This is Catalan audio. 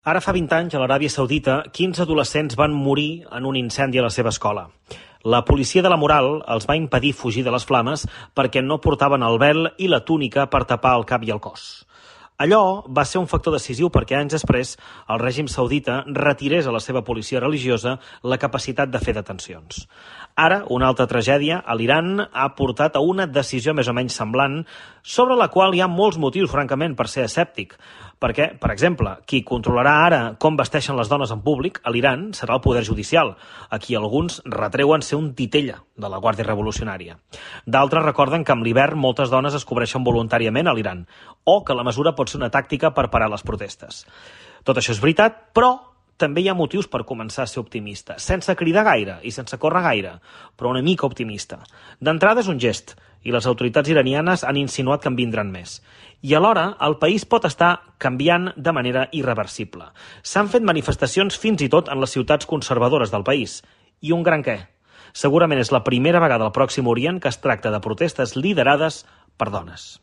Ara fa 20 anys, a l'Aràbia Saudita, 15 adolescents van morir en un incendi a la seva escola. La policia de la moral els va impedir fugir de les flames perquè no portaven el vel i la túnica per tapar el cap i el cos. Allò va ser un factor decisiu perquè anys després el règim saudita retirés a la seva policia religiosa la capacitat de fer detencions. Ara, una altra tragèdia a l'Iran ha portat a una decisió més o menys semblant, sobre la qual hi ha molts motius, francament, per ser escèptic. Perquè, per exemple, qui controlarà ara com vesteixen les dones en públic a l'Iran serà el poder judicial, a qui alguns retreuen ser un titella de la Guàrdia Revolucionària. D'altres recorden que amb l'hivern moltes dones es cobreixen voluntàriament a l'Iran, o que la mesura pot ser una tàctica per parar les protestes. Tot això és veritat, però també hi ha motius per començar a ser optimista, sense cridar gaire i sense córrer gaire, però una mica optimista. D'entrada és un gest, i les autoritats iranianes han insinuat que en vindran més. I alhora, el país pot estar canviant de manera irreversible. S'han fet manifestacions fins i tot en les ciutats conservadores del país. I un gran què? Segurament és la primera vegada al Pròxim Orient que es tracta de protestes liderades per dones.